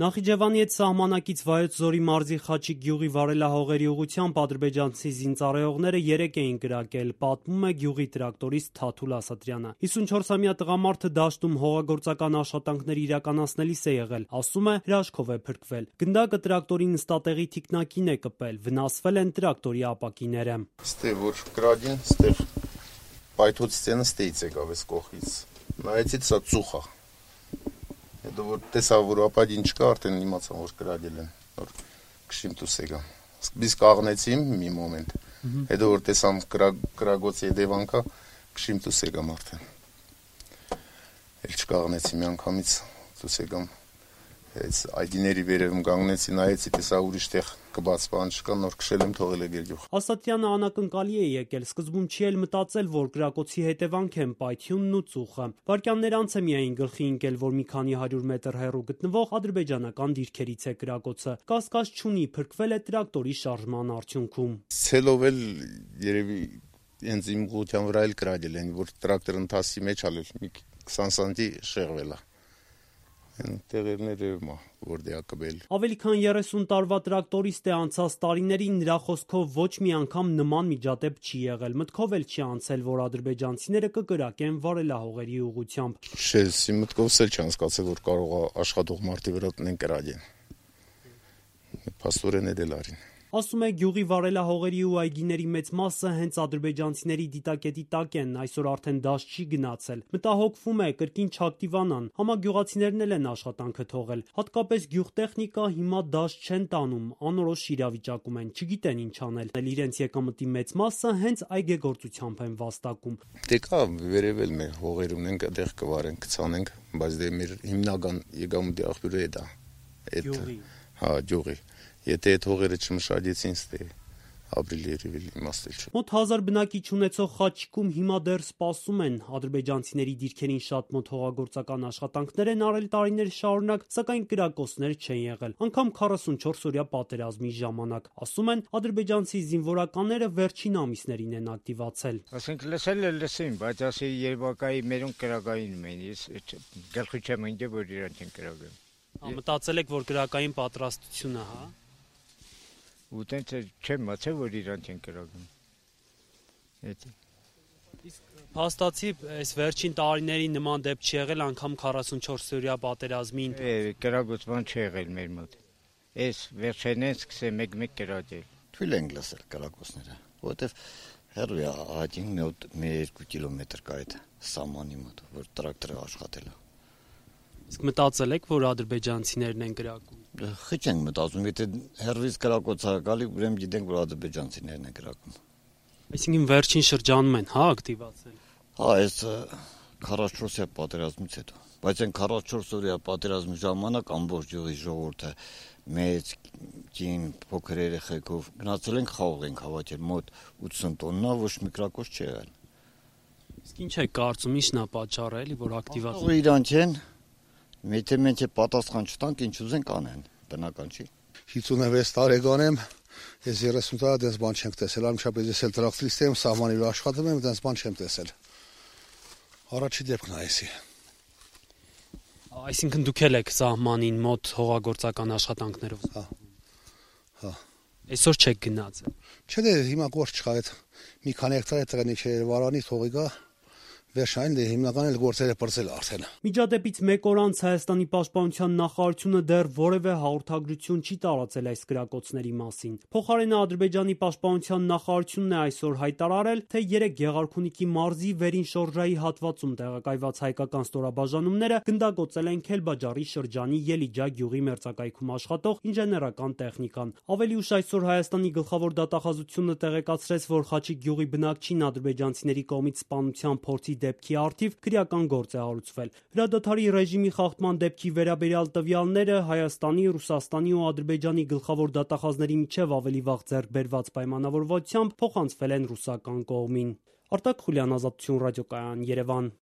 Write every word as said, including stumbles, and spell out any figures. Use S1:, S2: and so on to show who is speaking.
S1: Նախիջևանի հետ սահմանակից Վայոց Ձորի մարզի Խաչիկ գյուղի վարելահողերի ուղղությամբ ադրբեջանցի զինծառայողները երեկ էին կրակել, պատմում է գյուղի տրակտորիստ Թաթուլ Ասատրյանը։ հիսունչորսամյա տղամարդը դաշտում հողագործական աշխատանքներ իրականացնելիս է եղել, ասում է, հրաշքով է փրկվել։ Գնդակը տրակտորի նստատեղի թիկնակին է կպել, վնասվել են տրակտորի ապակիները։
S2: Ստե որ կրագին, ստեղ պայթոց ստենը ստեից եկավ էս կողից։ Նայեցի սա ծուխ է։ Հետո որ տեսա որ ապակին չկա, արդեն իմացա որ կրակել են, որ քշիմ դուս եկա։ Սկզբից կաղնեցի մի մոմենտ։ Հետո որ տեսամ կրագոցի հետևանքա, քշիմ դուս եկամ արդեն։ Էլ չկաղնեցի մի անգամից դուս եկամ։ Այս այդիների վերևում կանգնեցի, նայեցի, տեսա ուրիշ տեղ կբաց բան չկա, նոր քշել եմ թողել է գերգյուղ։
S1: Ասատրյանը անակնկալի է եկել, սկզբում չի էլ մտածել, որ կրակոցի հետևանք են պայթյունն ու ծուխը։ Վայրկյաններ անց է միայն գլխի ընկել, որ մի քանի հարյուր մետր հեռու գտնվող ադրբեջանական դիրքերից է կրակոցը։ Կասկած չունի, փրկվել է տրակտորի շարժման արդյունքում։
S2: Ցելով էլ երևի հենց իմ ուղղության վրա էլ կրակել են, որ տրակտորը ընթացի մեջ ալել մի քսան սանտի շեղվել է։ Տեղերները որ դեակվել։
S1: Ավելի քան երեսուն տարվա տրակտորիստ է, անցած տարիներին նրա խոսքով ոչ մի անգամ նման միջադեպ չի եղել, մտքով էլ չի անցել, որ ադրբեջանցիները կկրակեն վարելահողերի ուղղությամբ։
S2: Շեսի մտքովս էլ չի անցկացել, որ կարող է աշխատող մարդի վրա տնեն կրակեն։ Փաստորեն էլ արին։
S1: Ասում է, գյուղի վարելահողերի ու այգիների մեծ մասը հենց ադրբեջանցիների դիտակետի տակ են, այսօր արդեն դաշտ չի գնացել։ Մտահոգվում է, կրկին չակտիվանան, համագյուղացիներն էլ են աշխատանքը թողել։ Հատկապես գյուղտեխնիկա հիմա դաշտ չեն տանում, անորոշ իրավիճակում են, չգիտեն ինչ անել։ Իրենց եկամտի մեծ մասը հենց այգեգործությամբ են վաստակում։
S2: Դե կա վերևել մեր հողեր ունենք, այդտեղ կվարենք, կցանենք, բայց դե մեր հիմնական եկամտի աղբյուրը է դա։
S1: Գյուղի։
S2: Հա, գյուղի։ Եթե այդ հողերը չմշակեցին, ստե ապրիլ երևի իմաստել չէ։
S1: Մոտ հազար բնակիչ ունեցող Խաչիկում հիմա դեռ սպասում են, ադրբեջանցիների դիրքերին շատ մոտ հողագործական աշխատանքներ են արել տարիներ շարունակ, սակայն կրակոցներ չեն եղել, անգամ քառասունչորս օրյա պատերազմի ժամանակ։ Ասում են, ադրբեջանցի զինվորականները վերջին ամիսներին են ակտիվացել։
S3: Ասենք լսել է լսին, բայց ասի Երևակայի մերուն կրակային են, ես գլխի չեմ ընկել, որ իրանք են կրակել։
S1: Մտածել եք, որ կրակային պատրաստությունը, հա։
S3: Ու տենց չեմ մացել, որ իրանք են կրակում։
S1: Իսկ փաստացի այս վերջին տարիների նման դեպք չի եղել, անգամ քառասունչորս օրյա պատերազմին։
S3: Կրակոց բան չի եղել մեր մոտ։ Այս վերջերն սկսել մեկ-մեկ կրակել։
S4: Թույլ ենք լսել կրակոցները, որովհետև հեռու է ահագին մի երկու կիլոմետր կա այդ սահմանի մոտ, որ տրակտորը աշխատել է։
S1: Իսկ մտածել եք, որ ադրբեջանցիներն են կրակում։
S4: Խիչ ենք մտածում, եթե հեռվից կրակոց է գալի, ուրեմն գիտենք, որ ադրբեջանցիներն են կրակում։
S1: Այսինքն վերջին շրջանում են, հա, ակտիվացել։
S4: Հա, այս քառասունչորս օրյա պատերազմից հետո։ Բայց այն քառասունչորս օրյա պատերազմի ժամանակ ամբողջ գյուղի ժողովուրդը մեծ կին փոքր երեխեքով գնացել ենք խաղող ենք հավաքել մոտ ութսուն տոննա, ոչ մի կրակոց չի եղել։
S1: Իսկ ինչ է կարծում, ի՞նչն է պատճառը, էլի, որ ակտիվացել։
S4: Ահա իրանք են։ Եթե մենք պատասխան չտանք, ինչ ուզենք անեն, բնական չի։
S5: հիսունվեց տարեկան եմ, ես երեսուն տարի դες բան չեմ տեսել, անմիջապես ես էլ տրակտորիստ եմ, սահմանի վրա աշխատում եմ, դες բան չեմ տեսել։ Առաջի դեպքն է էսի։
S1: Այսինքն դուք էլ եք սահմանին մոտ հողագործական աշխատանքներով։
S5: Հա։ Հա։
S1: Այսօր չեք գնացել։
S5: Չէ, դե հիմա գործ չկա, այդ մի քանի հեկտար է տրենի չէ, Երևանի թողի գա։ Վերջային դե հիմնական էլ գործերը պրծել արդեն։
S1: Միջադեպից մեկ օր անց Հայաստանի պաշտպանության նախարարությունը դեռ որևէ հաղորդագրություն չի տարածել այս կրակոցների մասին։ Փոխարենը Ադրբեջանի պաշտպանության նախարարությունն է այսօր հայտարարել, թե երեք Գեղարքունիքի մարզի վերին շորժայի հատվածում տեղակայված հայկական ստորաբաժանումները գնդակոծել են Քելբաջարի շրջանի Ելիջա գյուղի մերձակայքում աշխատող ինժեներական տեխնիկան։ Ավելի ուշ այսօր Հայաստանի գլխավոր դատախազությունը տեղեկացրեց, որ Խաչիկ գյուղի բնակչին ադրբեջանցիների կողմից սպանության փորձի դեպքի առթիվ քրեական գործ է հարուցվել։ Հրադադարի ռեժիմի խախտման դեպքի վերաբերյալ տվյալները Հայաստանի, Ռուսաստանի ու Ադրբեջանի գլխավոր դատախազների միջև ավելի վաղ ձեռք բերված պայմանավորվածությամբ փոխանցվել են ռուսական կողմին։ Արտակ Խուլյան, Ազատություն ռադիոկայան, Երևան։